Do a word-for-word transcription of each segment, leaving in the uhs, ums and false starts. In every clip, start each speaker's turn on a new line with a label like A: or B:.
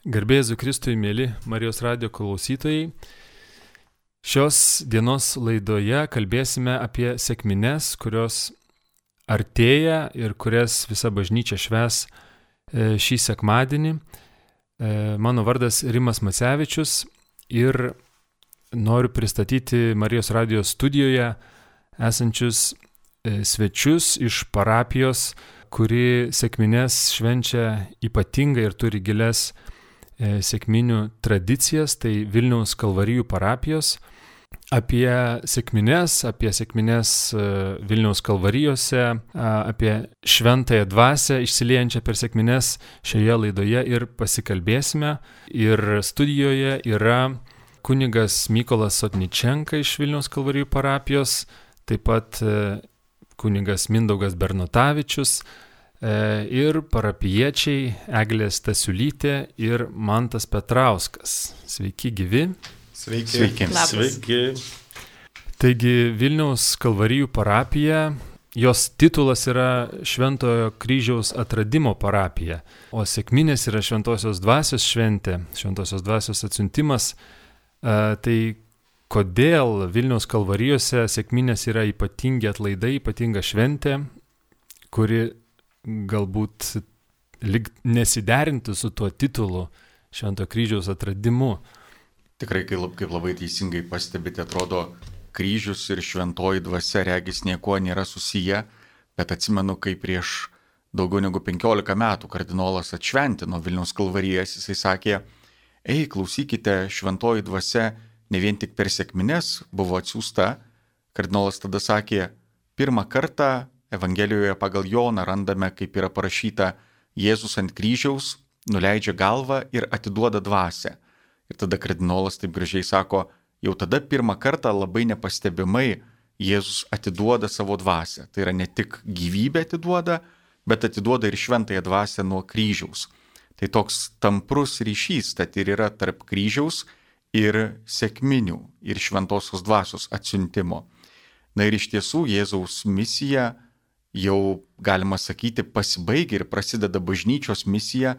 A: Garbė Jėzui Kristui, mėly Marijos radijo klausytojai. Šios dienos laidoje kalbėsime apie sekmines, kurios artėja ir kurias visa bažnyčia švęs šį sekmadienį. Mano vardas Rimas Macevičius ir noriu pristatyti Marijos radijo studijoje esančius svečius iš parapijos, kuri sekmines švenčia ypatingai ir turi gilias sekminių tradicijas, tai Vilniaus Kalvarijų parapijos. Apie sekmines, apie sekmines Vilniaus Kalvarijose, apie šventąją dvasią išsiliejančią per sekmines šioje laidoje ir pasikalbėsime. Ir studijoje yra kunigas Mykolas Sotničenka iš Vilniaus Kalvarijų parapijos, taip pat kunigas Mindaugas Bernotavičius, ir parapijiečiai Eglė Stasiulytė ir Mantas Petrauskas. Sveiki gyvi.
B: Sveiki.
C: Sveiki.
B: Sveiki.
A: Taigi Vilniaus Kalvarijų parapija, jos titulas yra Šventojo kryžiaus atradimo parapija, o sekminės yra Šventosios dvasios šventė, Šventosios dvasios atsiuntimas. Tai kodėl Vilniaus Kalvarijose sekminės yra ypatingi atlaidai, ypatinga šventė, kuri galbūt lyg nesiderinti su tuo titulu Šventojo kryžiaus atradimu.
C: Tikrai, kaip labai teisingai pastebite, atrodo, kryžius ir šventoji dvasia regis niekuo nėra susiję, bet atsimenu, kai prieš daugiau negu penkiolika metų kardinolas atšventino Vilniaus Kalvarijas, jisai sakė, ei, klausykite, šventoji dvasia ne vien tik per sekmines buvo atsiųsta. Kardinolas tada sakė, pirmą kartą Evangelijoje pagal Joną randame, kaip yra parašyta, Jėzus ant kryžiaus nuleidžia galvą ir atiduoda dvasią. Ir tada kardinolas taip gražiai sako, jau tada pirmą kartą labai nepastebimai Jėzus atiduoda savo dvasią. Tai yra ne tik gyvybę atiduoda, bet atiduoda ir šventąją dvasią nuo kryžiaus. Tai toks tamprus ryšys, tad ir yra tarp kryžiaus ir sekminių ir šventosios dvasios atsiuntimo. Na ir iš tiesų Jėzaus misija jau, galima sakyti, pasibaigia ir prasideda bažnyčios misija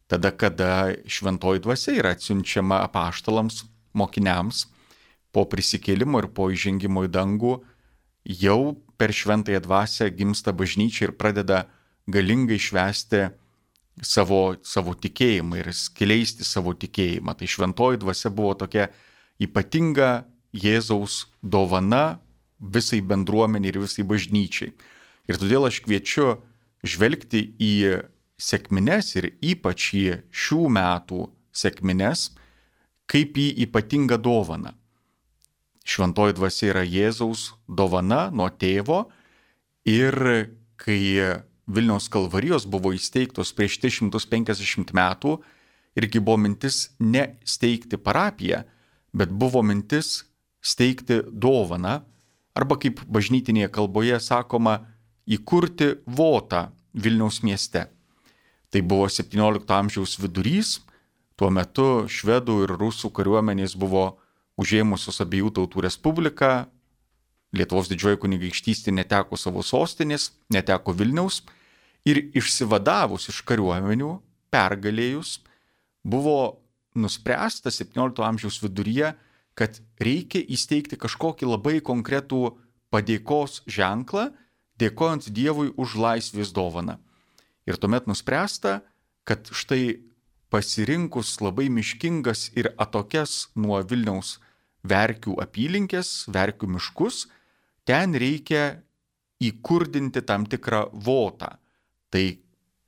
C: tada, kada šventoji dvasia yra atsiunčiama apaštalams, mokiniams, po prisikėlimo ir po įžengimo į dangų, jau per šventąją dvasią gimsta bažnyčia ir pradeda galingai švęsti savo, savo tikėjimą ir skleisti savo tikėjimą. Tai šventoji dvasia buvo tokia ypatinga Jėzaus dovana visai bendruomeniai ir visai bažnyčiai. Ir todėl aš kviečiu žvelgti į sekmines ir ypač į šių metų sekmines kaip į ypatingą dovaną. Šventoji dvasia yra Jėzaus dovana nuo tėvo ir kai Vilniaus Kalvarijos buvo įsteigtos prieš tris šimtus penkiasdešimt metų, irgi buvo mintis ne steigti parapiją, bet buvo mintis steigti dovaną, arba kaip bažnytinėje kalboje sakoma, įkurti votą Vilniaus mieste. Tai buvo septyniolikto amžiaus vidurys, tuo metu švedų ir rusų kariuomenės buvo užėmusios abiejų tautų respubliką, Lietuvos didžioji kunigaikštystė neteko savo sostinės, neteko Vilniaus ir išsivadavus iš kariuomenių, pergalėjus, buvo nuspręsta septyniolikto amžiaus viduryje, kad reikia įsteigti kažkokį labai konkretų padėkos ženklą, dėkojant Dievui už laisvės dovaną. Ir tuomet nuspręsta, kad štai pasirinkus labai miškingas ir atokias nuo Vilniaus Verkių apylinkės, Verkių miškus, ten reikia įkurdinti tam tikrą votą. Tai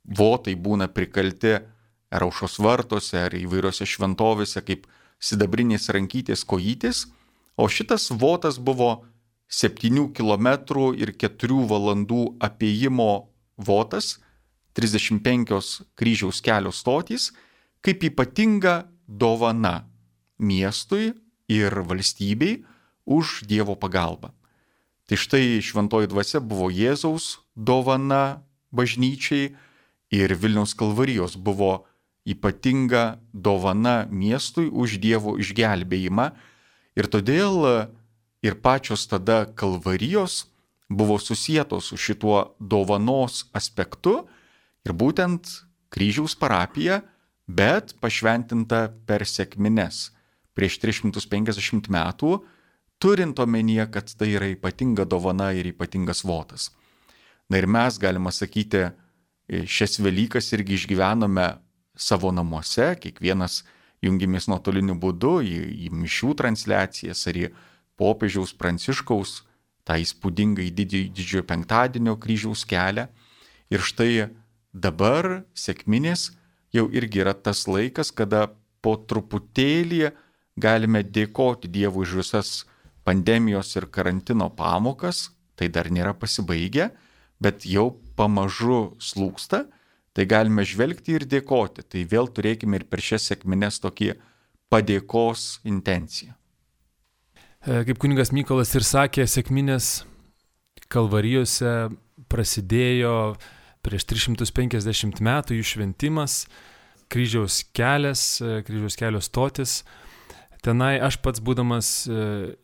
C: votai būna prikalti ar aušros vartuose, ar įvairiose šventovėse kaip sidabrinės rankytės kojytės, o šitas votas buvo septynių kilometrų ir keturių valandų apėjimo votas, trisdešimt penkios kryžiaus kelio stotys, kaip ypatinga dovana miestui ir valstybei už Dievo pagalbą. Tai štai šventoji dvasia buvo Jėzaus dovana bažnyčiai ir Vilniaus Kalvarijos buvo ypatinga dovana miestui už Dievo išgelbėjimą. Ir todėl ir pačios tada Kalvarijos buvo susietos su šituo dovanos aspektu ir būtent kryžiaus parapija bet pašventinta per sekmines prieš tris šimtus penkiasdešimt metų, turint omenyje, kad tai yra ypatinga dovana ir ypatingas votas. Na ir mes, galima sakyti, šias Velykas irgi išgyvenome savo namuose, kiekvienas jungėmės nuotoliniu būdu į, į mišių transliacijas ar į popiežiaus Pranciškaus tą įspūdingą didžiojo penktadienio kryžiaus kelią. Ir štai dabar sekminės jau irgi yra tas laikas, kada po truputėlį galime dėkoti Dievui už visas pandemijos ir karantino pamokas, tai dar nėra pasibaigę, bet jau pamažu slūgsta, tai galime žvelgti ir dėkoti. Tai vėl turėkime ir per šias sekmines tokį padėkos intenciją.
A: Kaip kunigas Mykolas ir sakė, sekminės Kalvarijose prasidėjo prieš tris šimtus penkiasdešimt metų jų šventimas, kryžiaus kelias, kryžiaus kelio stotis. Tenai aš pats būdamas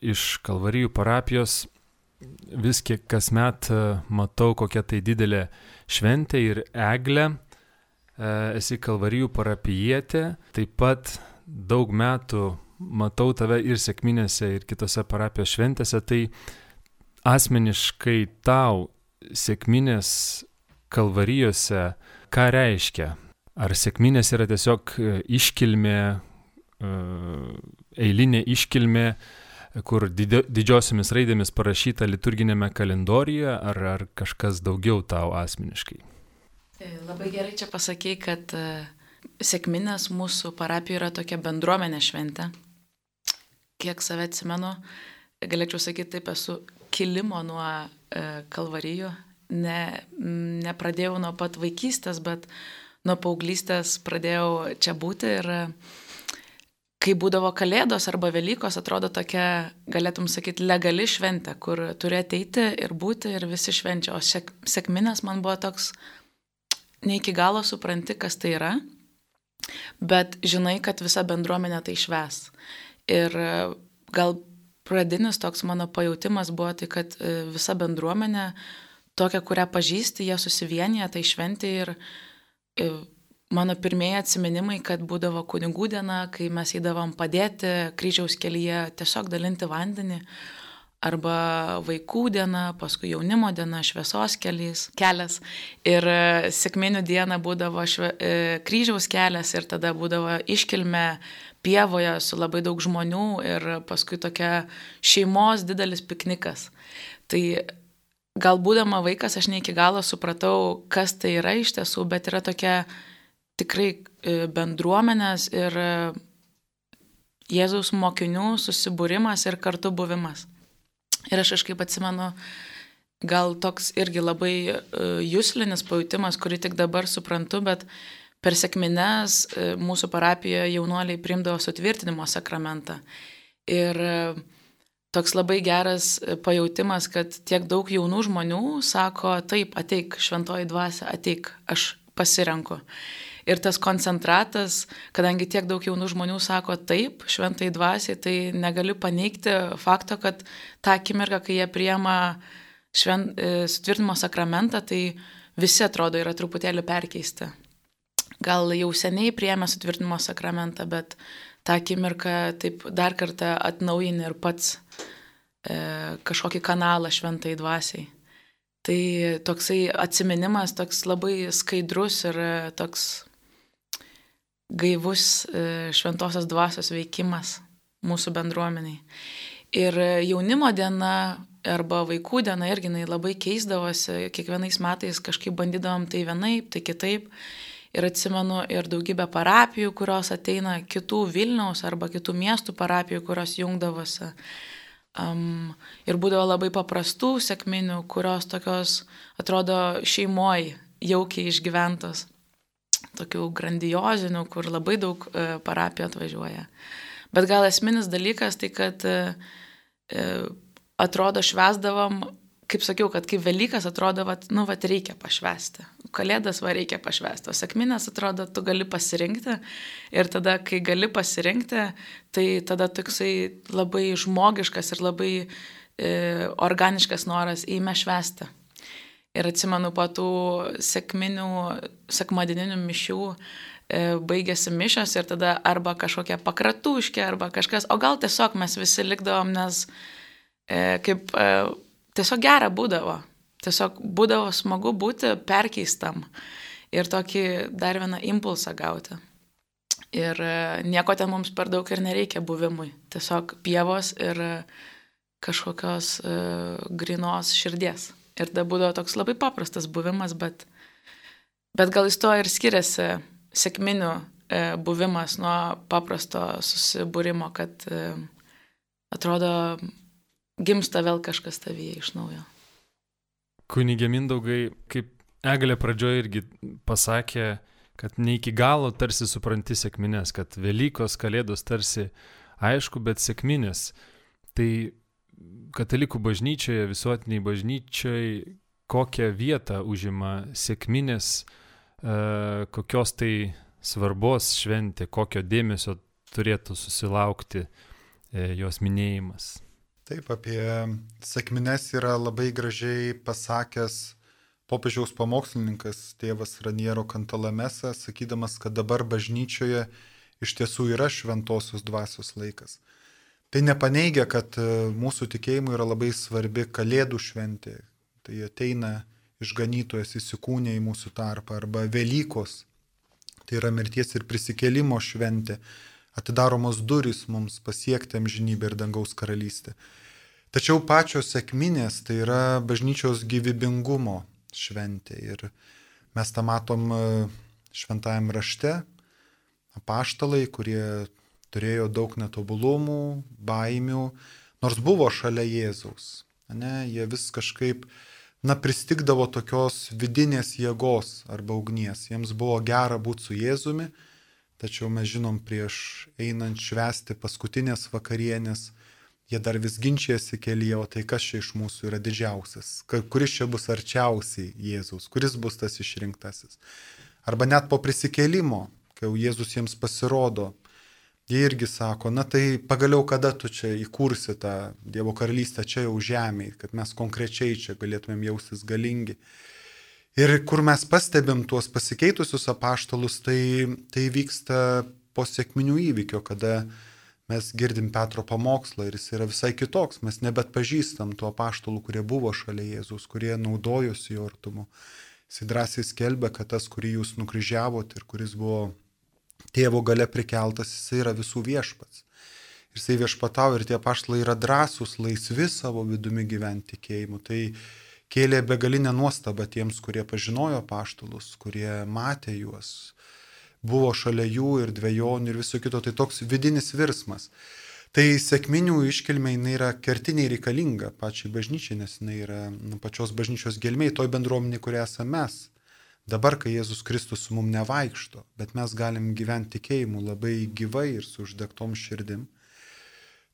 A: iš Kalvarijų parapijos vis kiek kasmet matau, kokia tai didelė šventė ir eglė. Esi Kalvarijų parapijietė, taip pat daug metų matau tave ir sekminėse, ir kitose parapijos šventėse. Tai asmeniškai tau sekminės Kalvarijose ką reiškia? Ar sekminės yra tiesiog iškilmė, eilinė iškilmė, kur didžiosiomis raidėmis parašyta liturginėme kalendoriuje, ar, ar kažkas daugiau tau asmeniškai?
B: Labai gerai čia pasakei, kad sekminės mūsų parapijoje yra tokia bendruomenė šventė. Kiek save atsimenu, galėčiau sakyti, taip esu kilimo nuo Kalvarijų. Ne, nepradėjau nuo pat vaikystės, bet nuo paauglystės pradėjau čia būti ir kai būdavo Kalėdos arba Velykos, atrodo tokia, galėtum sakyti, legali šventė, kur turi ateiti ir būti ir visi švenčia. O sek, sekminės man buvo toks, ne iki galo supranti, kas tai yra, bet žinai, kad visa bendruomenė tai švęs. Ir gal pradinis toks mano pajautimas buvo tai, kad visa bendruomenė, tokia, kurią pažįsti, jie susivienyje, tai šventė ir mano pirmieji atsiminimai, kad būdavo kunigų diena, kai mes eidavom padėti kryžiaus kelyje, tiesiog dalinti vandenį, arba vaikų diena, paskui jaunimo diena, šviesos kelias, kelias ir sekminių diena būdavo šve, kryžiaus kelias ir tada būdavo iškilmė pievoje su labai daug žmonių ir paskui tokia šeimos didelis piknikas. Tai gal būdama vaikas aš ne iki galo supratau, kas tai yra iš tiesų, bet yra tokia tikrai bendruomenės ir Jėzaus mokinių susibūrimas ir kartu buvimas. Ir aš kažkaip atsimenu, gal toks irgi labai juslinis pajutimas, kurį tik dabar suprantu, bet per sekmines mūsų parapijoje jaunuoliai priimdavo sutvirtinimo sakramentą. Ir toks labai geras pajautimas, kad tiek daug jaunų žmonių sako, taip, ateik, šventoji dvasia, ateik, aš pasirenku. Ir tas koncentratas, kadangi tiek daug jaunų žmonių sako taip, šventai dvasiai, tai negaliu paneigti fakto, kad tą akimirką, kai jie priima švent, sutvirtinimo sakramentą, tai visi atrodo yra truputėlį perkeisti. Gal jau seniai priėmė sutvirtinimo sakramentą, bet tą akimirką taip dar kartą atnaujini ir pats e, kažkokį kanalą šventai dvasiai. Tai toksai atsiminimas, toks labai skaidrus ir toks gaivus šventosios dvasios veikimas mūsų bendruomeniai. Ir jaunimo diena arba vaikų diena irgi labai keisdavosi, kiekvienais metais kažkaip bandydavom tai vienaip, tai kitaip. Ir atsimenu ir daugybę parapijų, kurios ateina kitų Vilniaus arba kitų miestų parapijų, kurios jungdavosi. Um, ir būdavo labai paprastų sekminių, kurios tokios atrodo šeimoj jaukiai išgyventos. Tokių grandiozinių, kur labai daug e, parapijų atvažiuoja. Bet gal esminis dalykas tai, kad e, atrodo švęsdavom, kaip sakiau, kad kaip Velykas atrodo, vat, nu, vat reikia pašvęsti. Kalėdas va reikia pašvęsti. O sekminės atrodo, tu gali pasirinkti. Ir tada, kai gali pasirinkti, tai tada toksai labai žmogiškas ir labai e, organiškas noras eime švęsti. Ir atsimenu po tų sekminių, sekmadieninių mišių, baigėsi mišios ir tada arba kažkokia pakratuškė, arba kažkas, o gal tiesiog mes visi likdavom, nes e, kaip e, tiesiog gera būdavo, tiesiog būdavo smagu būti perkeistam ir tokį dar vieną impulsą gauti. Ir e, nieko ten mums per daug ir nereikia buvimui, tiesiog pievos ir e, kažkokios e, grinos širdies. Ir tada būdavo toks labai paprastas buvimas, bet, bet gal jis to ir skiriasi sekminių e, buvimas nuo paprasto susibūrimo, kad e, atrodo gimsta vėl kažkas tavyje iš naujo.
A: Kunigė Mindaugai, kaip Eglė pradžioje irgi pasakė, kad ne iki galo tarsi supranti sekmines, kad Velykos, Kalėdos tarsi aišku, bet sekminės. Tai katalikų bažnyčioje, visuotiniai bažnyčioje, kokią vietą užima sekminės, kokios tai svarbos šventė, kokio dėmesio turėtų susilaukti jos minėjimas.
D: Taip, apie sekmines yra labai gražiai pasakęs popiežiaus pamokslininkas tėvas Raniero Cantalamessa, sakydamas, kad dabar bažnyčioje iš tiesų yra šventosios dvasios laikas. Tai nepaneigia, kad mūsų tikėjimui yra labai svarbi Kalėdų šventė. Tai ateina išganytojas įsikūnė į mūsų tarpą, arba Velykos. Tai yra mirties ir prisikėlimo šventė. Atidaromos durys mums pasiekti amžinybę ir dangaus karalystę. Tačiau pačios sekminės tai yra bažnyčios gyvybingumo šventė. Ir mes tą matom šventajam rašte. Apaštalai, kurie turėjo daug netobulumų, baimių, nors buvo šalia Jėzaus. Ne, jie vis kažkaip na, pristigdavo tokios vidinės jėgos arba ugnies. Jiems buvo gera būti su Jėzumi, tačiau mes žinom, prieš einant švęsti paskutinės vakarienės, jie dar vis ginčijasi kelyje, o tai kas čia iš mūsų yra didžiausias, kuris čia bus arčiausiai Jėzaus, kuris bus tas išrinktasis. Arba net po prisikėlimo, kai jau Jėzus jiems pasirodo, jie irgi sako, na tai pagaliau kada tu čia įkursi tą Dievo karalystę čia jau žemėje, kad mes konkrečiai čia galėtumėm jaustis galingi. Ir kur mes pastebim tuos pasikeitusius apaštalus, tai, tai vyksta po sekminių įvykio, kada mes girdim Petro pamokslą ir jis yra visai kitoks. Mes nebet pažįstam tų apaštalų, kurie buvo šalia Jėzus, kurie naudojosi jo artumu. Jis drąsiai skelbia, kad tas, kurį jūs nukryžiavot ir kuris buvo tėvo gale prikeltas, jis yra visų viešpats. Ir jisai viešpatau ir tie apaštalai yra drąsūs, laisvi savo vidumi gyventi tikėjimu. Tai kėlė begalinę nuostabą tiems, kurie pažinojo apaštalus, kurie matė juos, buvo šalia jų ir dvejonių ir viso kito. Tai toks vidinis virsmas. Tai sekminių iškilmė jinai yra kertiniai reikalinga pačiai bažnyčiai, nes jinai yra nu, pačios bažnyčios gelmėj, toj bendruomenė, kurie esame mes. Dabar, kai Jėzus Kristus su mum nevaikšto, bet mes galim gyventi tikėjimu labai gyvai ir su uždegtom širdim.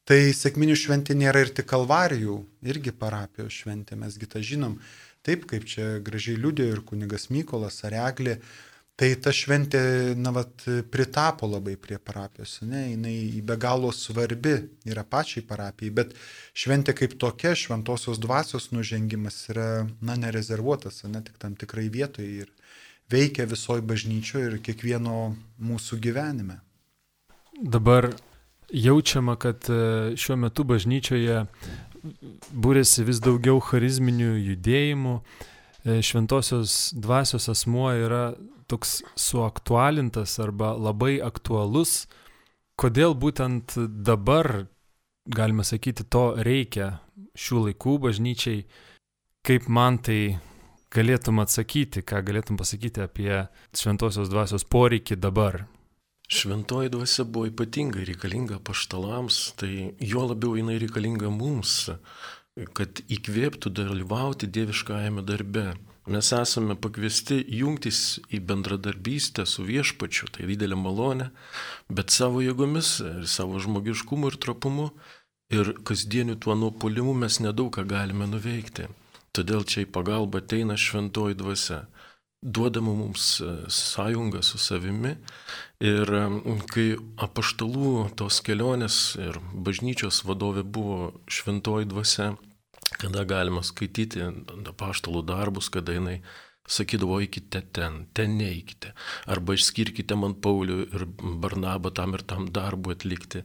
D: Tai sekminių šventė nėra ir tik kalvarijų, irgi parapijos šventė, mesgi tą žinom. Taip, kaip čia gražiai liudėjo ir kunigas Mykolas ar Eglė, tai ta šventė, na, vat, pritapo labai prie parapijos, ne, jinai be galo svarbi yra pačiai parapijai, bet šventė kaip tokia, šventosios dvasios nužengimas yra, na, nerezervuotas, ne, tik tam tikrai vietoje ir veikia visoje bažnyčioje ir kiekvieno mūsų gyvenime.
A: Dabar jaučiama, kad šiuo metu bažnyčioje būrėsi vis daugiau charizminių judėjimų. Šventosios dvasios asmuo yra toks suaktualintas arba labai aktualus. Kodėl būtent dabar, galime sakyti, to reikia šių laikų bažnyčiai? Kaip man tai galėtum atsakyti, ką galėtum pasakyti apie šventosios dvasios poreikį dabar?
E: Šventoji dvasia buvo ypatingai reikalinga apaštalams, tai juo labiau jinai reikalinga mums, kad įkvėptų dalyvauti dieviškajame darbe. Mes esame pakviesti jungtis į bendradarbystę su viešpačiu, tai didelė malonė, bet savo jėgomis, savo žmogiškumu ir trapumu ir kasdieniu tuo nuopuolimu mes nedaug ką galime nuveikti. Todėl čia į pagalbą ateina šventoji dvasia, duodama mums sąjungą su savimi. Ir kai apaštalų tos kelionės ir bažnyčios vadovė buvo šventoji dvasia, kada galima skaityti apaštalų darbus, kada jinai sakydavo, eikite ten, ten neikite. Arba išskirkite man Paulių ir Barnabą tam ir tam darbų atlikti.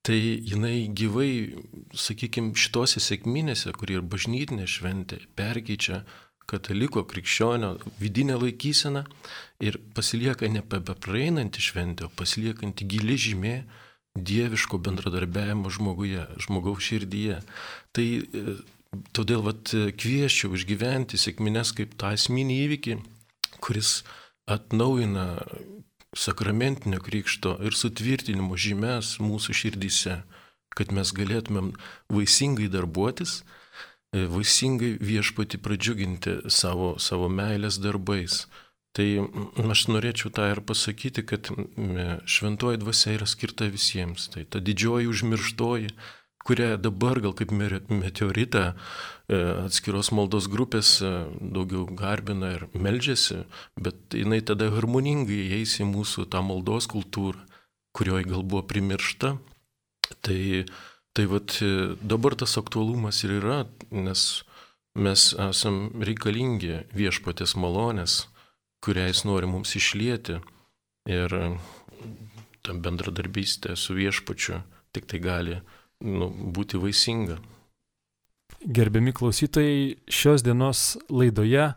E: Tai jinai gyvai, sakykime, šitose sekminėse, kur ir bažnytinė šventė, perkeičia kataliko krikščionio vidinę laikyseną ir pasilieka ne bepraeinanti šventė, o pasiliekanti gili žymė dieviško bendradarbiavimo žmoguje, žmogaus širdyje. Tai todėl vat, kvieščiau išgyventi sekmines kaip tą esminį įvykį, kuris atnaujina sakramentinio krikšto ir sutvirtinimo žymes mūsų širdyse, kad mes galėtumėm vaisingai darbuotis, vaisingai viešpatį pradžiuginti savo, savo meilės darbais. Tai aš norėčiau tą ir pasakyti, kad šventoji dvasia yra skirta visiems. Tai ta didžioji užmirštoji, kurią dabar gal kaip meteoritą atskiros maldos grupės daugiau garbina ir meldžiasi, bet jinai tada harmoningai įeis į mūsų tą maldos kultūrą, kurioje gal buvo primiršta. Tai, tai vat, dabar tas aktualumas ir yra, nes mes esam reikalingi viešpatės malonės, kurią jis nori mums išlieti, ir ta bendradarbystė su viešpačiu tik tai gali nu, būti vaisinga.
A: Gerbiami klausytojai, šios dienos laidoje,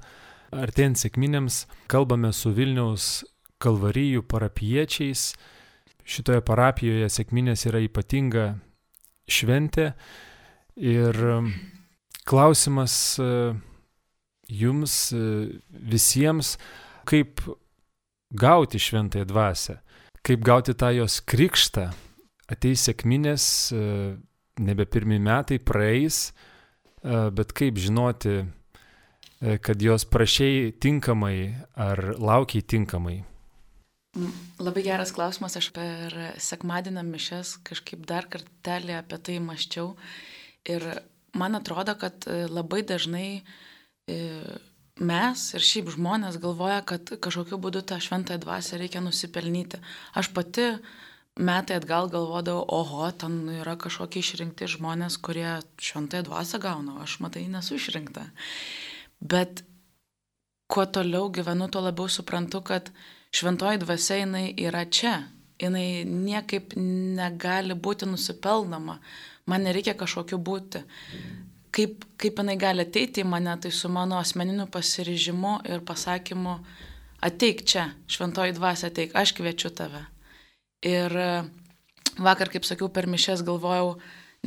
A: artėjant sekminėms, kalbame su Vilniaus Kalvarijų parapiečiais. Šitoje parapijoje sekminės yra ypatinga šventė ir klausimas jums visiems, kaip gauti šventąją dvasią, kaip gauti tą jos krikštą. Ateis sekminės, nebe pirmi metai praeis, bet kaip žinoti, kad jos prašei tinkamai ar laukiai tinkamai?
B: Labai geras klausimas, aš per sekmadienio mišias kažkaip dar kartelį apie tai mąsčiau ir man atrodo, kad labai dažnai mes ir šiaip žmonės galvoja, kad kažkokiu būdu tą šventąją dvasią reikia nusipelnyti. Aš pati metai atgal galvodavau, oho, ten yra kažkokie išrinkti žmonės, kurie šventąją dvasią gauna, aš matai nesu išrinkta. Bet kuo toliau gyvenu, tuo labiau suprantu, kad šventoji dvasia jinai yra čia, jinai niekaip negali būti nusipelnama, man nereikia kažkokiu būti. Kaip, kaip jinai gali ateiti į mane, tai su mano asmeniniu pasiryžimu ir pasakymu, ateik čia, šventoji dvasia, ateik, aš kviečiu tave. Ir vakar, kaip sakiau, per mišias galvojau,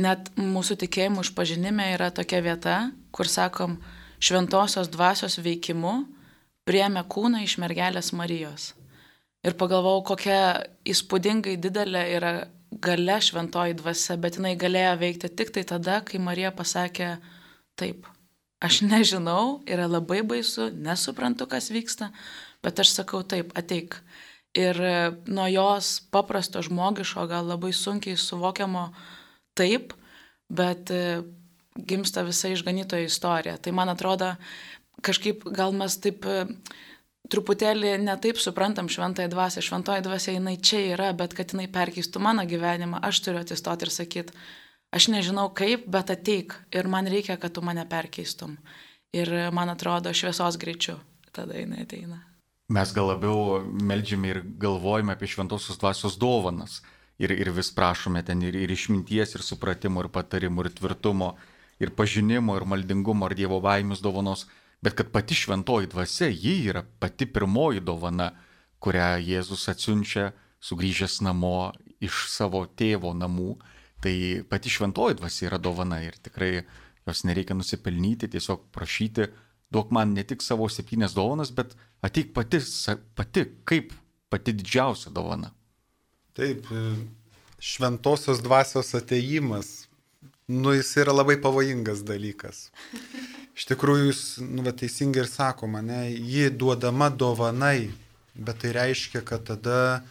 B: net mūsų tikėjimų išpažinime yra tokia vieta, kur sakom, šventosios dvasios veikimu priėmė kūną iš mergelės Marijos. Ir pagalvojau, kokia įspūdingai didelė yra galia šventoji dvasia, bet jinai galėjo veikti tik tai tada, kai Marija pasakė, taip, aš nežinau, yra labai baisu, nesuprantu, kas vyksta, bet aš sakau taip, ateik. Ir nuo jos paprasto žmogiško, gal labai sunkiai suvokiamo taip, bet gimsta visa išganytojo istorija. Tai man atrodo, kažkaip gal mes taip truputėlį netaip suprantam šventąją dvasią. Šventoji dvasia jinai čia yra, bet kad jinai perkeistų mano gyvenimą, aš turiu atsistoti ir sakyti, aš nežinau kaip, bet ateik ir man reikia, kad tu mane perkeistum. Ir man atrodo, šviesos greičiu tada jinai ateina.
C: Mes gal labiau meldžiame ir galvojame apie šventosios dvasios dovanas. Ir, ir vis prašome ten ir, ir išminties, ir supratimo, ir patarimų, ir tvirtumo, ir pažinimo, ir maldingumo, ir Dievo baimės dovanos. Bet kad pati šventoji dvasia, ji yra pati pirmoji dovana, kurią Jėzus atsiunčia sugrįžęs namo iš savo tėvo namų. Tai pati šventoji dvasia yra dovana ir tikrai jos nereikia nusipelnyti, tiesiog prašyti, duok man ne tik savo septynias dovanas, bet ateik pati, pati kaip pati didžiausia dovana.
D: Taip, šventosios dvasios atėjimas, nu jis yra labai pavojingas dalykas. Iš tikrųjų, jūs nu, va, teisingai ir sakoma, ne, ji duodama dovanai, bet tai reiškia, kad tada,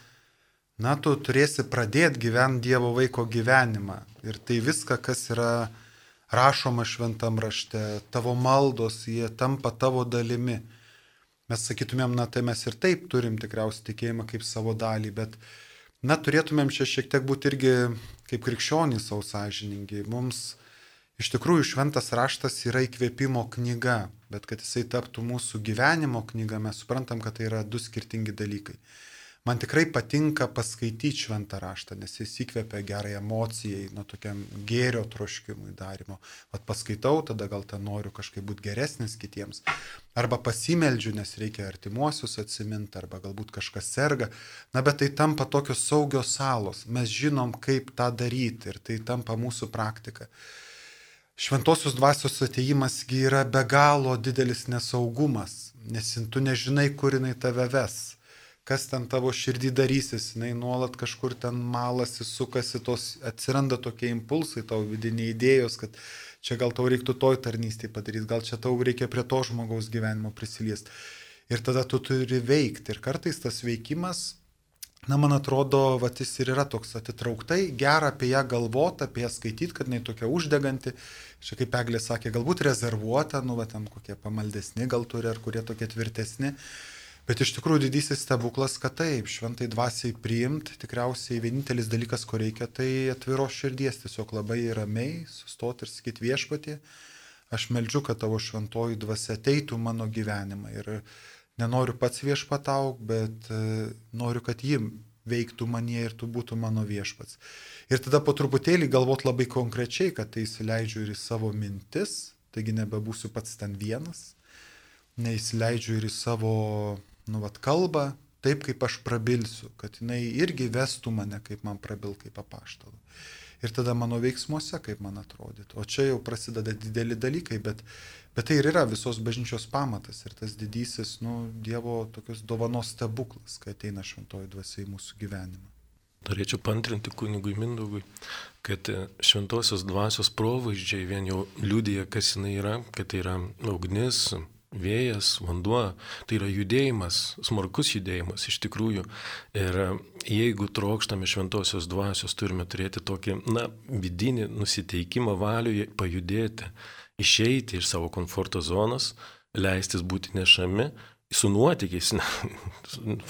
D: na, tu turėsi pradėti gyventi Dievo vaiko gyvenimą. Ir tai viską, kas yra rašoma šventam rašte, tavo maldos, jie tampa tavo dalimi. Mes sakytumėm, na, tai mes ir taip turim tikriausiai tikėjimą kaip savo dalį, bet, na, turėtumėm čia šiek tiek būti irgi kaip krikščionys savo sąžiningi. Mums Iš tikrųjų, šventas raštas yra įkvėpimo knyga, bet kad jisai taptų mūsų gyvenimo knyga, mes suprantam, kad tai yra du skirtingi dalykai. Man tikrai patinka paskaityti šventą raštą, nes jis įkvepia gerai emocijai, nuo tokiam gėrio troškimui darimo. Vat paskaitau, tada gal ten noriu kažkaip būti geresnis kitiems. Arba pasimeldžiu, nes reikia artimuosius atsiminti, arba galbūt kažkas serga. Na, bet tai tampa tokios saugios salos. Mes žinom, kaip tą daryti ir tai tampa mūsų praktika. Šventosios dvasios atėjimas yra be galo didelis nesaugumas, nes tu nežinai, kur jinai tave ves. Kas ten tavo širdį darysis, jinai nuolat kažkur ten malasi, sukasi, tos, atsiranda tokie impulsai, tavo vidiniai idėjos, kad čia gal tau reiktų toj tarnystėje padaryti, gal čia tau reikia prie to žmogaus gyvenimo prisiliesti. Ir tada tu turi veikti. Ir kartais tas veikimas, na, man atrodo, vat jis ir yra toks atitrauktai, gera apie ją galvoti, apie ją skaityti, kad jinai tokia uždeganti. Šiek kaip Eglė sakė, galbūt rezervuota, nu, va, ten kokie pamaldesni gal turi, ar kurie tokie tvirtesni. Bet iš tikrųjų didysis stebuklas, kad taip, šventai dvasiai priimti, tikriausiai vienintelis dalykas, ko reikia, tai atviros širdies, tiesiog labai ramiai sustoti ir sakyti Viešpatie, aš meldžiu, kad tavo šventoji dvasia ateitų mano gyvenimą ir nenoriu pats viešpatauk, bet noriu, kad ji veiktų manie ir tu būtų mano viešpats. Ir tada po truputėlį galvot labai konkrečiai, kad tai įsileidžiu ir į savo mintis, taigi nebebūsiu pats ten vienas, neįsileidžiu ir į savo nu, vat, kalbą, taip kaip aš prabilsiu, kad jinai irgi vestų mane, kaip man prabil, kaip apaštalų. Ir tada mano veiksmuose, kaip man atrodytų. O čia jau prasideda dideli dalykai, bet, bet tai ir yra visos bažnyčios pamatas ir tas didysis, nu, Dievo tokios dovanos stebuklas, kai ateina šventoji dvasia į mūsų gyvenimą.
E: Norėčiau pantrinti kunigui Mindaugui, kad šventosios dvasios provaizdžiai vien jau liudija, kas jinai yra, kad tai yra ugnis, vėjas, vanduo, tai yra judėjimas, smarkus judėjimas iš tikrųjų. Ir jeigu trokštame šventosios dvasios, turime turėti tokį, na, vidinį nusiteikimą valioje pajudėti, išeiti iš savo komforto zonos, leistis būti nešami su nuotykiais,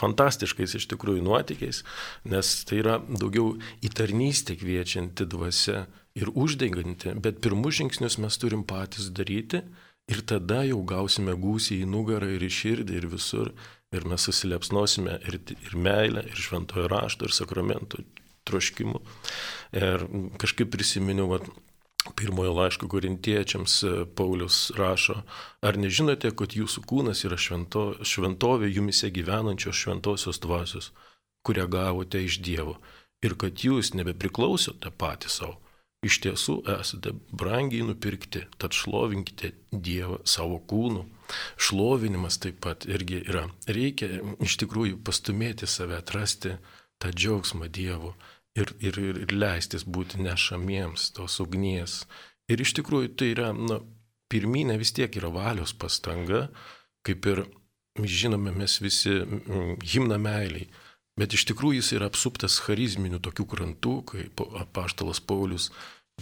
E: fantastiškais iš tikrųjų nuotykiais, nes tai yra daugiau į tarnystę kviečianti dvasia ir uždeganti, bet pirmus žingsnius mes turim patys daryti. Ir tada jau gausime gūsį į nugarą ir į širdį ir visur. Ir mes susilepsnosime ir, ir meilę, ir šventojo rašto, ir sakramentų troškimu. Ir kažkaip prisiminiau, vat, pirmojo laiško korintiečiams Paulius rašo, ar nežinote, kad jūsų kūnas yra švento, šventovė jumise gyvenančios šventosios dvasios, kurią gavote iš Dievo. Ir kad jūs nebepriklausote patys savo. Iš tiesų esate brangiai nupirkti, tad šlovinkite Dievą savo kūnu. Šlovinimas taip pat irgi yra. Reikia iš tikrųjų pastumėti save, atrasti tą džiaugsmą Dievu ir, ir, ir leistis būti nešamiems tos ugnies. Ir iš tikrųjų tai yra, na, pirminė vis tiek yra valios pastanga, kaip ir žinome mes visi himną meiliai. Bet iš tikrųjų jis yra apsuptas charizminių tokių krantų, kaip apaštalas Paulius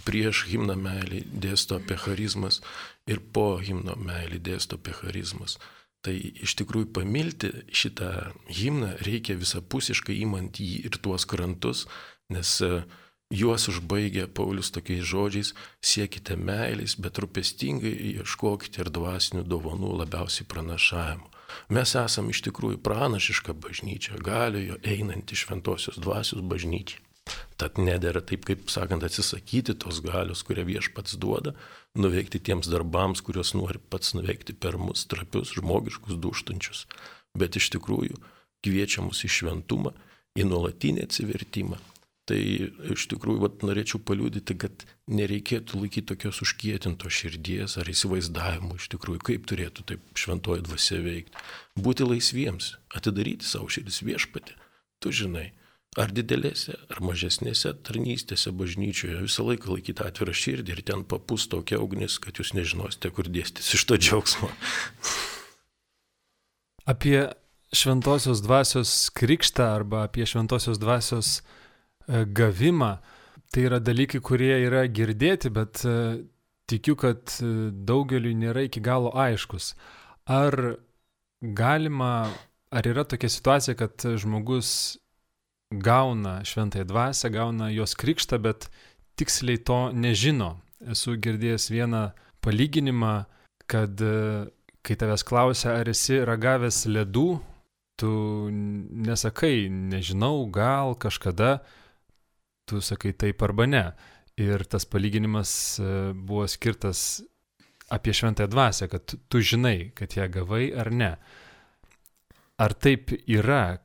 E: prieš himną meilį dėsto apie charizmas ir po himno meilį dėsto apie charizmas. Tai iš tikrųjų pamilti šitą himną reikia visapusiškai imant jį ir tuos krantus, nes juos užbaigia Paulius tokiais žodžiais, siekite meilės, bet rūpestingai ieškokite ir dvasinių dovanų labiausiai pranašavimo. Mes esam iš tikrųjų pranašiška bažnyčia, galiojo einanti šventosios dvasios bažnyčia. Tad nedėra taip, kaip sakant, atsisakyti tos galios, kurią Viešpats duoda, nuveikti tiems darbams, kuriuos nori pats nuveikti per mus trapius, žmogiškus, dūštančius. Bet iš tikrųjų kviečia mus į šventumą, į nuolatinį atsivertimą. Tai iš tikrųjų vat, norėčiau paliudyti, kad nereikėtų laikyti tokios užkietintos širdies ar įsivaizdavimų iš tikrųjų, kaip turėtų taip šventoji dvasia veikti. Būti laisviems, atidaryti savo širdis Viešpatį. Tu žinai, ar didelėse, ar mažesnėse tarnystėse bažnyčioje visą laiką laikyti atvirą širdį ir ten papūs tokia ugnis, kad jūs nežinosite, kur dėstis iš to džiaugsmo.
A: Apie šventosios dvasios krikštą arba apie šventosios dvasios gavimą, tai yra dalykai, kurie yra girdėti, bet tikiu, kad daugeliui nėra iki galo aiškus. Ar galima, ar yra tokia situacija, kad žmogus gauna šventąją dvasią, gauna jos krikštą, bet tiksliai to nežino. esu girdėjęs vieną palyginimą, kad kai tavęs klausia, ar esi ragavęs ledų, tu nesakai, nežinau, gal kažkada, tu sakai taip arba ne. Ir tas palyginimas buvo skirtas apie šventąją dvasią, kad tu žinai, kad ją gavai ar ne. Ar taip yra,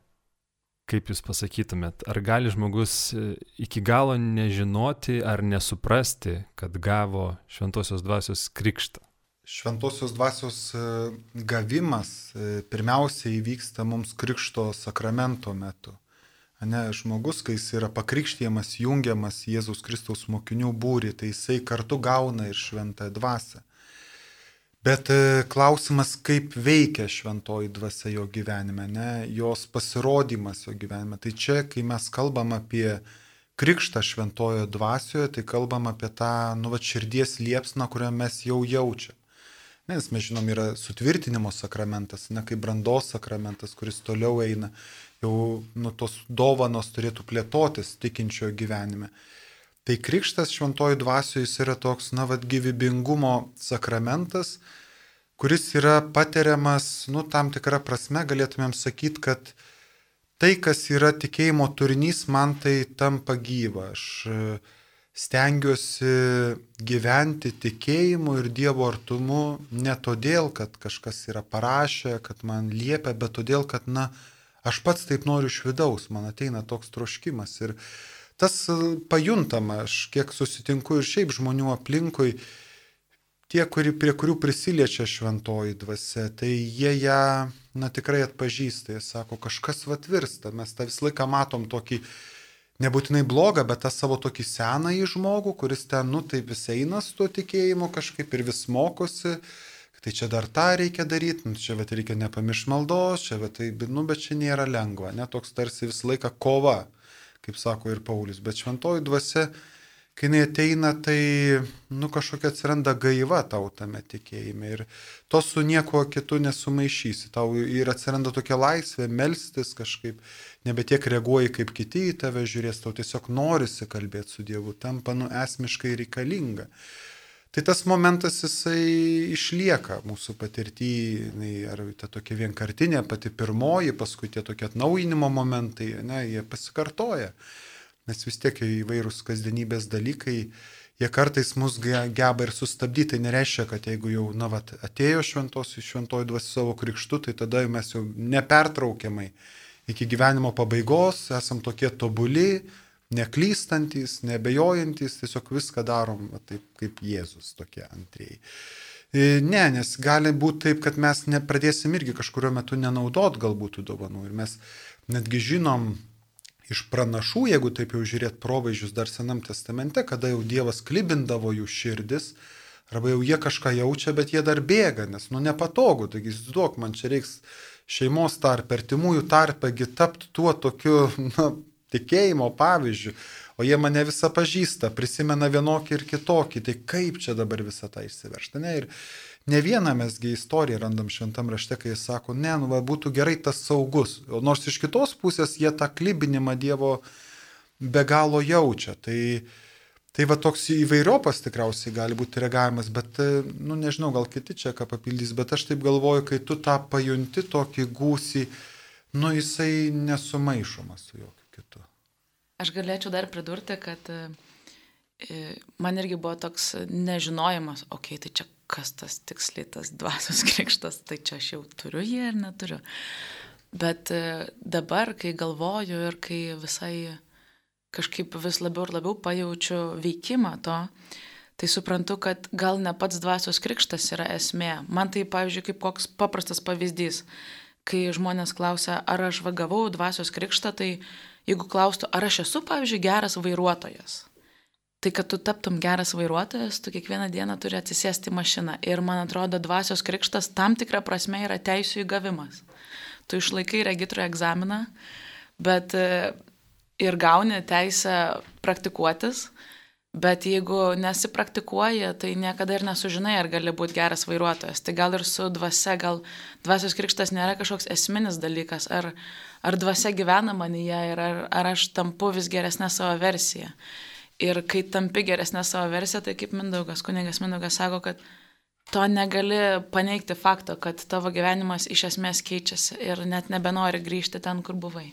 A: kaip jūs pasakytumėt, ar gali žmogus iki galo nežinoti ar nesuprasti, kad gavo šventosios dvasios krikštą?
D: Šventosios dvasios gavimas pirmiausia įvyksta mums krikšto sakramento metu. Ne, žmogus, kai jis yra pakrikštijamas, jungiamas Jėzaus Kristaus mokinių būrį, tai jisai kartu gauna ir šventąją dvasią. Bet klausimas, kaip veikia šventoji dvasia jo gyvenime, ne, jos pasirodymas jo gyvenime. Tai čia, kai mes kalbam apie krikštą šventojo dvasioje, tai kalbam apie tą, nu, va, širdies liepsną, kurią mes jau jaučiam. Nes mes žinom, yra sutvirtinimo sakramentas, ne, kaip brandos sakramentas, kuris toliau eina, jau nu, tos dovanos turėtų plėtotis tikinčiojo gyvenime. Tai krikštas šventojo dvasioje jis yra toks, na, vat, gyvybingumo sakramentas, kuris yra patiriamas, nu, tam tikrą prasme, galėtumėm sakyti, kad tai, kas yra tikėjimo turinys, man tai tampa gyva. Aš stengiuosi gyventi tikėjimu ir Dievo artumu ne todėl, kad kažkas yra parašę, kad man liepia, bet todėl, kad, na, aš pats taip noriu iš vidaus, man ateina toks troškimas. Ir tas pajuntama, aš kiek susitinku ir šiaip žmonių aplinkui, tie, kuri, prie kurių prisiliečia šventoji dvasia, tai jie ją, na, tikrai atpažįsta, jie sako, kažkas vat virsta, mes tą visą laiką matom tokį, nebūtinai blogą, bet tą savo tokį senąjį žmogų, kuris ten, nu, taip vis eina su tuo tikėjimu kažkaip ir vis mokosi, tai čia dar tą reikia daryti, nu, čia vat reikia nepamiršti maldos, čia vat tai, nu, bet čia nėra lengva, ne, toks tarsi visą laiką kova, kaip sako ir Paulius, bet šventoji dvasia, kai jinai ateina, tai, nu, kažkokia atsiranda gaiva tau tame tikėjime ir to su nieko kitu nesumaišysi, tau ir atsiranda tokia laisvė melstis kažkaip, nebe tiek reaguoji kaip kiti į tave žiūrės, tau tiesiog norisi kalbėti su Dievu, tampa, nu, esmiškai reikalinga. Tai tas momentas jisai išlieka mūsų patirtyje, ar ta tokia vienkartinė, pati pirmoji, paskui tie tokie atnaujinimo momentai, ne, jie pasikartoja. Nes vis tiek įvairūs kasdienybės dalykai, jie kartais mus geba ir sustabdyti. Tai nereiškia, kad jeigu jau, na, vat, atėjo šventos, šventoji dvasia savo krikštu, tai tada mes jau nepertraukiamai iki gyvenimo pabaigos esam tokie tobuli, neklystantis, nebejojantis, tiesiog viską darom va, taip kaip Jėzus tokie antrieji. Ne, nes gali būti taip, kad mes nepradėsim irgi kažkurio metu nenaudot galbūt tų dovanų. Ir mes netgi žinom iš pranašų, jeigu taip jau žiūrėt provaizdžius dar Senam testamente, kada jau Dievas klibindavo jų širdis, arba jau jie kažką jaučia, bet jie dar bėga, nes nu nepatogu, taigi įsivaizduok, man čia reiks šeimos tarp, artimųjų tarpegi tapti tuo tokiu, na, tikėjimo pavyzdžiu, o jie mane visą pažįsta, prisimena vienokį ir kitokį, tai kaip čia dabar visą tą išsiveršta, ne, ir ne vieną mesgi istoriją randam šventam rašte, kai jis sako, ne, nu, va, būtų gerai tas saugus, o nors iš kitos pusės jie tą klibinimą Dievo be galo jaučia, tai, tai va toks įvairiopas tikriausiai gali būti reagavimas, bet, nu, nežinau, gal kiti čia ką papildys, bet aš taip galvoju, kai tu tą pajunti tokį gūsį, nu, jisai nesumaišomas su jokiu kitu.
B: Aš galėčiau dar pridurti, kad man irgi buvo toks nežinojimas, okei, okay, tai čia kas tas tiksliai tas dvasios krikštas, tai čia aš jau turiu jį ar neturiu. Bet dabar, kai galvoju ir kai visai kažkaip vis labiau ir labiau pajaučiu veikimą to, tai suprantu, kad gal ne pats dvasios krikštas yra esmė. Man tai, pavyzdžiui, kaip koks paprastas pavyzdys, kai žmonės klausia, ar aš vagavau dvasios krikštą, tai jeigu klaustų, ar aš esu, pavyzdžiui, geras vairuotojas, tai kad tu taptum geras vairuotojas, tu kiekvieną dieną turi atsisėsti į mašiną. Ir man atrodo, dvasios krikštas tam tikrą prasme yra teisių įgavimas. Tu išlaikai regitro egzaminą, bet ir gauni teisę praktikuotis, bet jeigu nesipraktikuoji, tai niekada ir nesužinai, ar gali būti geras vairuotojas. Tai gal ir su dvasia, gal dvasios krikštas nėra kažkoks esminis dalykas, ar, ar dvasia gyvena manyje ir ar, ar aš tampu vis geresnę savo versiją. Ir kai tampi geresnė savo versiją, tai kaip Mindaugas, kunigas Mindaugas sako, kad to negali paneigti fakto, kad tavo gyvenimas iš esmės keičiasi ir net nebenori grįžti ten, kur buvai.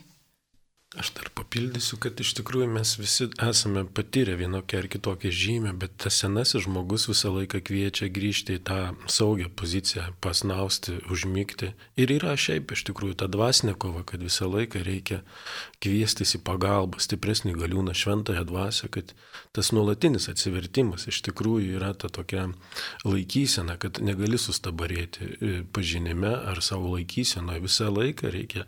E: Aš dar papildysiu, kad iš tikrųjų mes visi esame patyrę vienokią ar kitokią žymę, bet tas senasis žmogus visą laiką kviečia grįžti į tą saugią poziciją, pasnausti, užmygti. Ir yra šiaip iš tikrųjų ta dvasinė kova, kad visą laiką reikia kviestis į pagalbą, stipresnį galiūną, šventąją dvasią, kad tas nuolatinis atsivertimas iš tikrųjų yra ta tokia laikysena, kad negali sustabarėti pažinime ar savo laikysenoje. Visą laiką reikia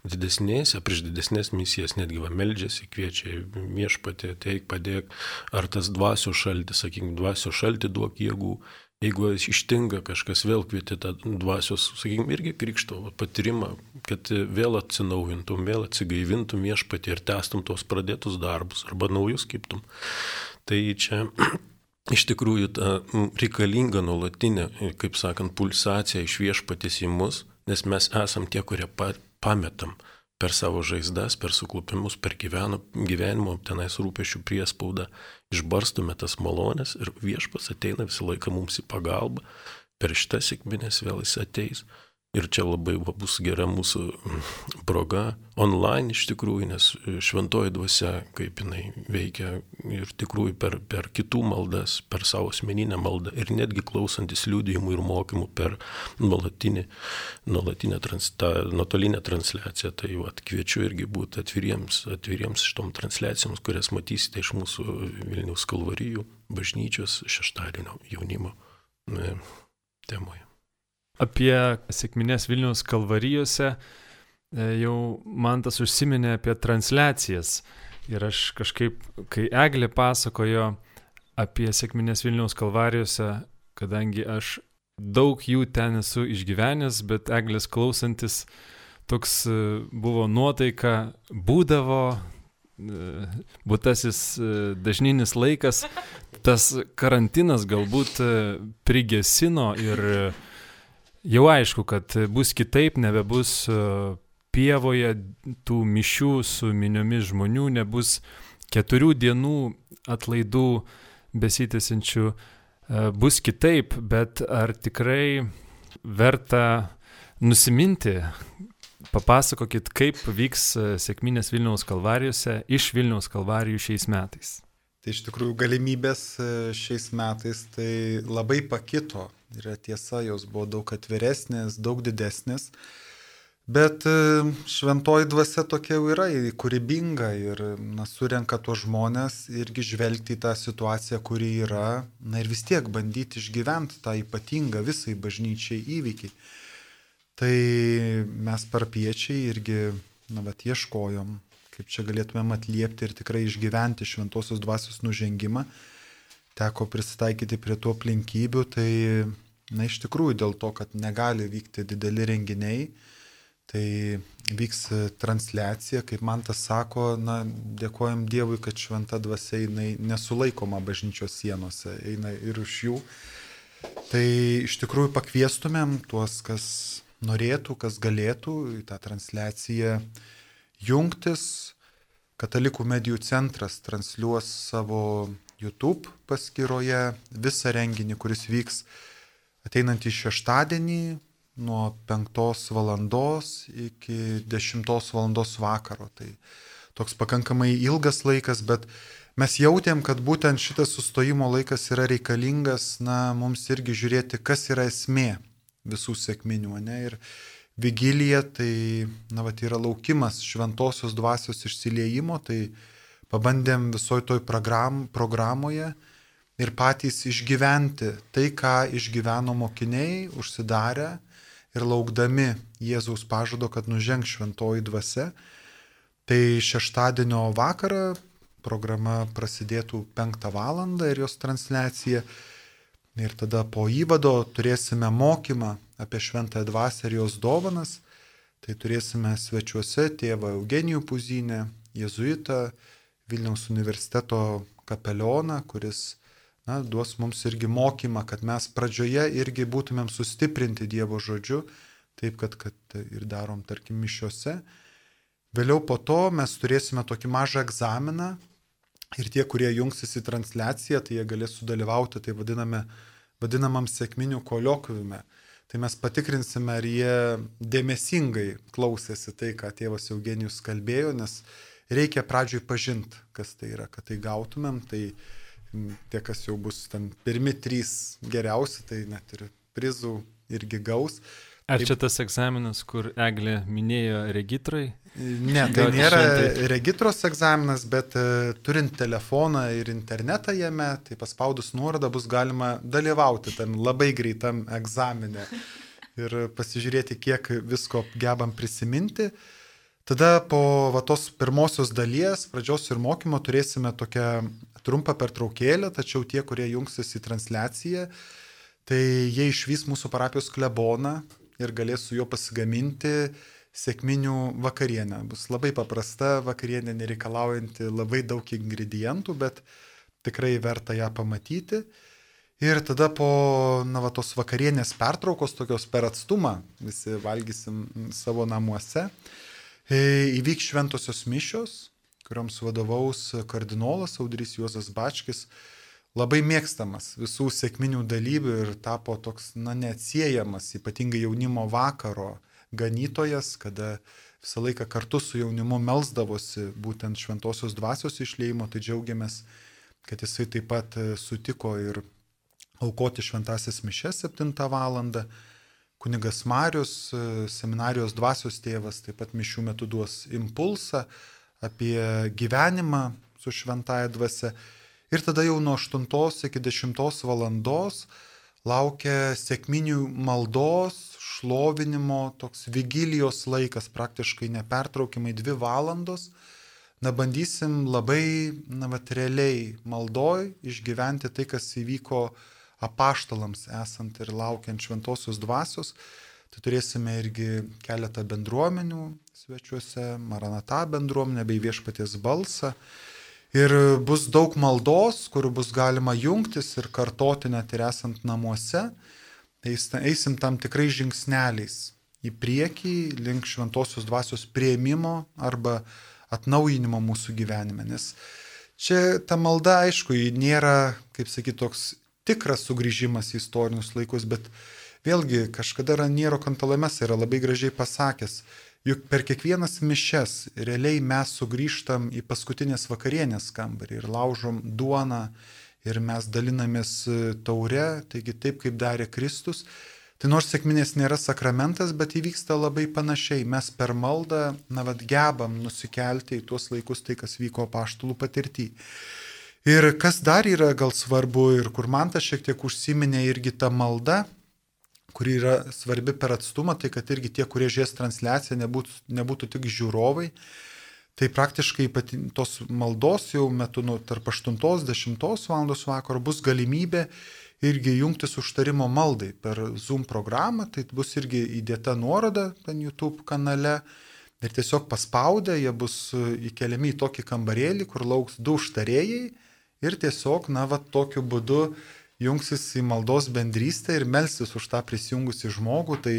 E: didesnėse, prieš didesnės misijas, netgi va meldžiasi, kviečia viešpatį, ateik, padėk, ar tas dvasios šaltis, sakykime, dvasios šaltį duok jėgų. Jeigu ištinka kažkas, vėl kvieti tą dvasios, sakykime, irgi krikšto patyrimą, kad vėl atsinaujintum, vėl atsigaivintum viešpatį ir tęstum tuos pradėtus darbus arba naujus kiptum. Tai čia iš tikrųjų ta reikalinga nuolatinė, kaip sakant, pulsacija iš viešpatės į mus, nes mes esam tie, kurie pametam per savo žaizdas, per suklupimus, per gyveno, gyvenimo, tenais rūpešių priespaudą, išbarstume tas malonės ir viešpas ateina visą laiką mums į pagalbą, per šitą sekminės vėl jis ateis. Ir čia labai va, bus gera mūsų proga online iš tikrųjų, nes šventoji dvasia, kaip jinai veikia ir tikrųjų per, per kitų maldas, per savo asmeninę maldą ir netgi klausantis liudijimų ir mokymų per nuolatinį, nuolatinę trans, tą, nuotolinę transliaciją. Tai va, kviečiu irgi būti atviriems, atviriems šitom transliacijoms, kurias matysite iš mūsų Vilniaus Kalvarijų bažnyčios šeštadienio jaunimo ne, temoje.
A: Apie sekmines Vilniaus Kalvarijose jau Mantas užsiminė apie transliacijas. Ir aš kažkaip, kai Eglė pasakojo apie sekmines Vilniaus Kalvarijose, kadangi aš daug jų ten esu išgyvenęs, bet Eglės klausantis toks buvo nuotaika, būdavo būtasis dažninis laikas, tas karantinas galbūt prigesino ir jau aišku, kad bus kitaip, nebebus pievoje tų mišių su miniomis žmonių, nebus keturių dienų atlaidų besitęsiančių, bus kitaip, bet ar tikrai verta nusiminti? Papasakokit, kaip vyks sekminės Vilniaus Kalvarijose iš Vilniaus Kalvarijų šiais metais.
D: Tai iš tikrųjų galimybės šiais metais tai labai pakito. Yra tiesa, jos buvo daug atviresnės, daug didesnės, bet šventoji dvasia tokia jau yra, kūrybinga ir na, surenka tuos žmonės irgi žvelgti į tą situaciją, kuri yra, na ir vis tiek bandyti išgyventi tą ypatingą visai bažnyčiai įvykį. Tai mes parapiečiai irgi, na, vat, ieškojom, kaip čia galėtumėm atliepti ir tikrai išgyventi šventosios dvasios nužengimą. Teko prisitaikyti prie tų aplinkybių, tai na, iš tikrųjų dėl to, kad negali vykti dideli renginiai, tai vyks transliacija, kaip Mantas sako, na, dėkojam Dievui, kad šventa dvasia jinai nesulaikoma bažnyčios sienose, eina ir už jų. Tai iš tikrųjų pakviestumėm tuos, kas norėtų, kas galėtų į tą transliaciją jungtis. Katalikų medijų centras transliuos savo YouTube paskyroje visą renginį, kuris vyks ateinantį šeštadienį nuo penktos valandos iki dešimtos valandos vakaro. Tai toks pakankamai ilgas laikas, bet mes jautėm, kad būtent šitas sustojimo laikas yra reikalingas, na, mums irgi žiūrėti, kas yra esmė visų sekminių, ne? Ir vigilija, tai, na, vat, yra laukimas šventosios dvasios išsiliejimo, tai pabandėm visoj toj program, programoje ir patys išgyventi tai, ką išgyveno mokiniai, užsidarę ir laukdami Jėzaus pažado, kad nužengs šventoji dvasia. Tai šeštadienio vakarą programa prasidėtų penktą valandą ir jos transliacija. Ir tada po įvado turėsime mokymą apie šventąją dvasią ir jos dovanas. Tai turėsime svečiuose tėvą Eugenijų Puzinę, jėzuitą, Vilniaus universiteto kapelioną, kuris, na, duos mums irgi mokymą, kad mes pradžioje irgi būtumėm sustiprinti Dievo žodžiu, taip kad, kad ir darom, tarkim, mišiose. Vėliau po to mes turėsime tokį mažą egzaminą, Ir tie, kurie jungsis į transliaciją, tai jie galės sudalyvauti tai vadiname, vadinamam sekminių koliokviume. Tai mes patikrinsime, ar jie dėmesingai klausėsi tai, ką tėvas Eugenijus kalbėjo, nes reikia pradžioj pažinti, kas tai yra, kad tai gautumėm. Tai tie, kas jau bus ten pirmi trys geriausi, tai net ir prizų irgi gaus.
A: Ar čia tas egzaminas, kur Eglė minėjo regitrai?
D: Ne, tai nėra regitros egzaminas, bet uh, turint telefoną ir internetą jame, tai paspaudus nuorodą bus galima dalyvauti tam labai greitam egzamine ir pasižiūrėti, kiek visko gebam prisiminti. Tada po va, tos pirmosios dalies, pradžios ir mokymo, turėsime tokią trumpą pertraukėlę, tačiau tie, kurie jungsis į transliaciją, tai jie išvys mūsų parapijos kleboną ir galės su juo pasigaminti sekminių vakarienę. Bus labai paprasta vakarienė, nereikalaujanti labai daug ingredientų, bet tikrai verta ją pamatyti. Ir tada po na, va, tos vakarienės pertraukos, tokios per atstumą, visi valgysim savo namuose, įvyks šventosios mišios, kurioms vadovaus kardinolas Audrys Juozas Bačkis, labai mėgstamas visų sekminių dalyvių ir tapo toks, na, neatsiejamas, ypatingai jaunimo vakaro ganytojas, kada visą laiką kartu su jaunimu melsdavosi būtent šventosios dvasios išliejimo, tai džiaugiamės, kad jisai taip pat sutiko ir aukoti šventasias mišias septintą valandą. Kunigas Marius, seminarijos dvasios tėvas, taip pat mišių metu duos impulsą apie gyvenimą su šventaja dvasia. Ir tada jau nuo aštuntos iki dešimtos valandos laukia sekminių maldos, šlovinimo, toks vigilijos laikas, praktiškai nepertraukimai dvi valandos. Na, bandysim labai, na, vat, realiai maldoj išgyventi tai, kas įvyko apaštalams esant ir laukiant šventosios dvasios. Tai turėsime irgi keletą bendruomenių svečiuose, Maranata bendruomenę bei Viešpaties balsą. Ir bus daug maldos, kur bus galima jungtis ir kartoti net ir esant namuose. Eisim tam tikrais žingsneliais į priekį link šventosios dvasios priėmimo arba atnaujinimo mūsų gyvenime. Nes čia ta malda, aišku, nėra, kaip sakyti, toks tikras sugrįžimas į istorinius laikus, bet vėlgi kažkada Raniero Cantalamessa yra labai gražiai pasakęs, juk per kiekvienas mišias realiai mes sugrįžtam į paskutinės vakarienės kambarį ir laužom duoną ir mes dalinamės taure, taigi taip kaip darė Kristus. Tai nors sekminės nėra sakramentas, bet įvyksta labai panašiai. Mes per maldą, na, vat, gebam nusikelti į tuos laikus tai, kas vyko apaštalų patirtį. Ir kas dar yra gal svarbu ir kur man tas šiek tiek užsiminė irgi ta malda, kuri yra svarbi per atstumą, tai kad irgi tie, kurie žies transliaciją, nebūtų, nebūtų tik žiūrovai. Tai praktiškai tos maldos jau metu nu, tarp aštuntos dešimtos valandos vakaro bus galimybė irgi jungtis užtarimo maldai per Zoom programą, tai bus irgi įdėta nuoroda ten YouTube kanale ir tiesiog paspaudę jie bus įkeliami į tokį kambarėlį, kur lauks du užtarėjai ir tiesiog, na, va, tokiu būdu jungsis į maldos bendrystę ir melsis už tą prisijungusį žmogų. Tai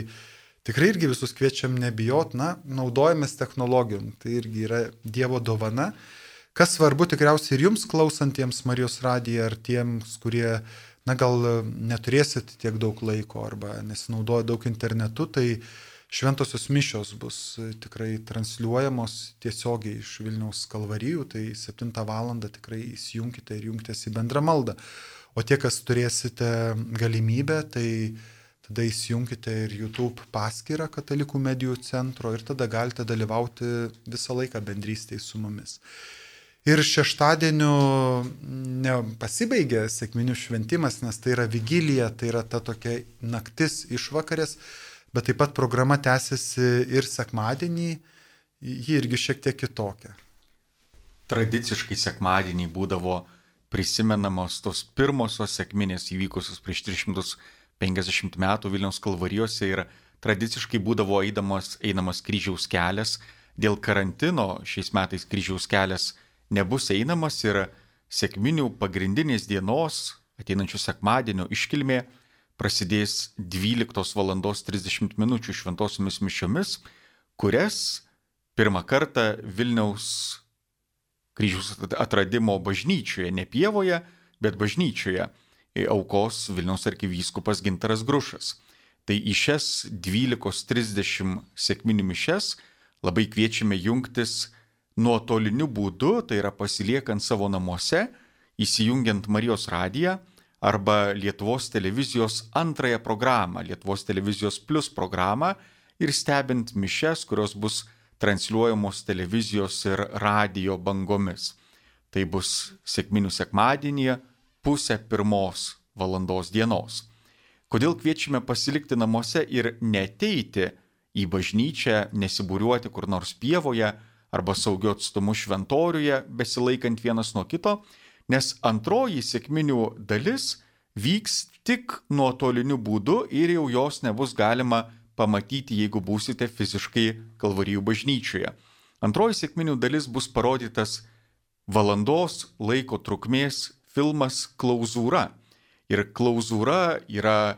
D: tikrai irgi visus kviečiam nebijot, na, naudojamės technologijom, tai irgi yra Dievo dovana. Kas svarbu tikriausiai ir jums klausantiems Marijos radiją, ar tiems, kurie, na, gal neturėsit tiek daug laiko arba nesinaudoja daug internetu, tai šventosios mišios bus tikrai transliuojamos tiesiogiai iš Vilniaus kalvarijų, tai septintą valandą tikrai įsijunkite ir jungtės į bendrą maldą. O tie, kas turėsite galimybę, tai tada įsijunkite ir YouTube paskyrą Katalikų medijų centro ir tada galite dalyvauti visą laiką bendrystėje su mumis. Ir šeštadienio nepasibaigė sekminių šventimas, nes tai yra vigilija, tai yra ta tokia naktis išvakarės, bet taip pat programa tęsiasi ir sekmadienį, ji irgi šiek tiek kitokia.
C: Tradiciškai sekmadienį būdavo prisimenamos tos pirmosios sekminės įvykusios prieš tris šimtus penkiasdešimt metų Vilniaus kalvarijose ir tradiciškai būdavo eidamas, einamas kryžiaus kelias. Dėl karantino šiais metais kryžiaus kelias nebus einamas ir sekminių pagrindinės dienos, ateinančių sekmadienio iškilmė, prasidės dvyliktos valandos trisdešimt minučių šventosiomis mišiomis, kurias pirmą kartą Vilniaus kryžiaus atradimo bažnyčioje, ne pievoje, bet bažnyčioje aukos Vilniaus arkivyskupas Gintaras Grušas. Tai į šias dvylikos trisdešimt sekminių mišias labai kviečiame jungtis nuotoliniu būdu, tai yra pasiliekant savo namuose, įsijungiant Marijos radiją arba Lietuvos televizijos antrąją programą, Lietuvos televizijos plus programą ir stebint mišias, kurios bus transliuojamos televizijos ir radijo bangomis. Tai bus sekminių sekmadienį pusę pirmos valandos dienos. Kodėl kviečiame pasilikti namuose ir neteiti į bažnyčią, nesibūriuoti kur nors pievoje arba saugiu atstumu šventoriuje, besilaikant vienas nuo kito, nes antroji sekminių dalis vyks tik nuotoliniu būdu ir jau jos nebus galima pamatyti, jeigu būsite fiziškai Kalvarijų bažnyčioje. Antroji sekminių dalis bus parodytas valandos laiko trukmės filmas Klauzūra. Ir klauzūra yra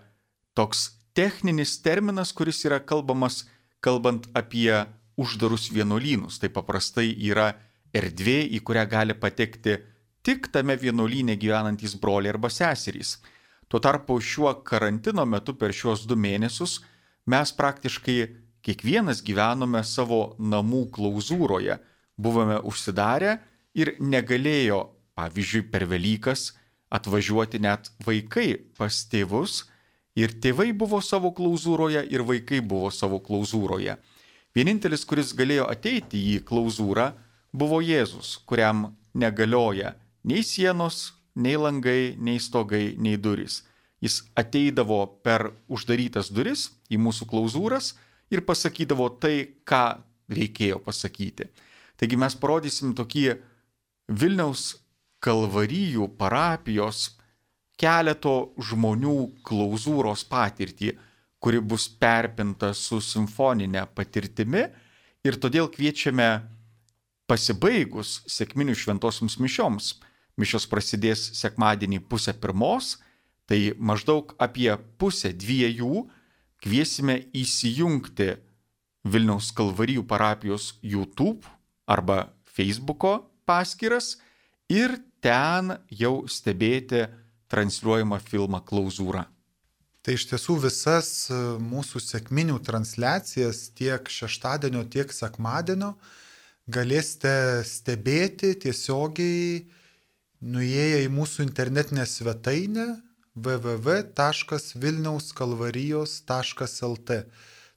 C: toks techninis terminas, kuris yra kalbamas, kalbant apie uždarus vienuolynus. Tai paprastai yra erdvė, į kurią gali patekti tik tame vienuolyne gyvenantys broliai arba seserys. Tuo tarpu šiuo karantino metu per šiuos du mėnesius mes praktiškai kiekvienas gyvenome savo namų klauzūroje, buvome užsidarę ir negalėjo, pavyzdžiui, per Velykas atvažiuoti net vaikai pas tėvus, ir tėvai buvo savo klauzūroje, ir vaikai buvo savo klauzūroje. Vienintelis, kuris galėjo ateiti į klauzūrą, buvo Jėzus, kuriam negalioja nei sienos, nei langai, nei stogai, nei durys. Jis ateidavo per uždarytas duris į mūsų klauzūras ir pasakydavo tai, ką reikėjo pasakyti. Taigi mes parodysim tokį Vilniaus Kalvarijų parapijos keleto žmonių klauzūros patirtį, kuri bus perpinta su simfoninė patirtimi, ir todėl kviečiame pasibaigus sekminių šventosioms mišioms. Mišios prasidės sekmadienį pusę pirmos, tai maždaug apie pusę dviejų kviesime įsijungti Vilniaus Kalvarijų parapijos YouTube arba Facebooko paskyras ir ten jau stebėti transliuojamą filmą Klauzūra.
D: Tai iš tiesų visas mūsų sekminių transliacijas tiek šeštadienio, tiek sekmadienio galėsite stebėti tiesiogiai nuėję į mūsų internetinę svetainę w w w taškas vilniaus kalvarijos taškas l t.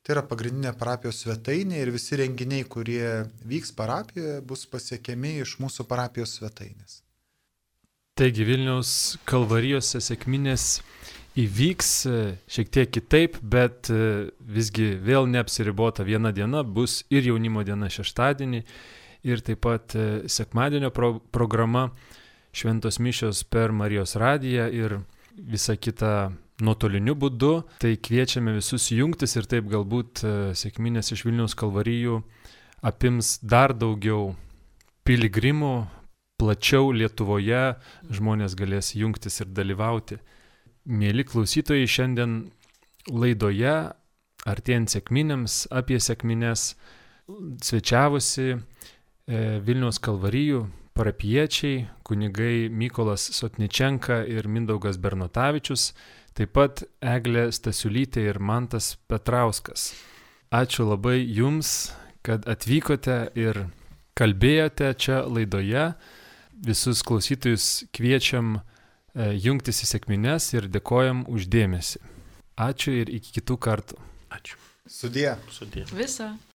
D: Tai yra pagrindinė parapijos svetainė ir visi renginiai, kurie vyks parapijoje, bus pasiekiami iš mūsų parapijos svetainės.
A: Taigi Vilniaus Kalvarijose sekminės įvyks šiek tiek kitaip, bet visgi vėl neapsiribota viena diena, bus ir jaunimo diena šeštadienį, ir taip pat sekmadienio pro- programa šventos mišios per Marijos radiją ir visa kita nuotoliniu būdu. Tai kviečiame visus jungtis ir taip galbūt sekminės iš Vilniaus Kalvarijų apims dar daugiau piligrimų, plačiau Lietuvoje žmonės galės jungtis ir dalyvauti. Mėly klausytojai, šiandien laidoje, artėjant sekminėms, apie sekmines svečiavosi Vilniaus Kalvarijų parapiečiai, kunigai Mykolas Sotničenka ir Mindaugas Bernotavičius, taip pat Eglė Stasiulytė ir Mantas Petrauskas. Ačiū labai jums, kad atvykote ir kalbėjote čia laidoje. Visus klausytojus kviečiam jungtis į sekmines ir dėkojam už dėmesį. Ačiū ir iki kitų kartų.
E: Ačiū.
D: Sudie.
E: Sudie.
B: Visą.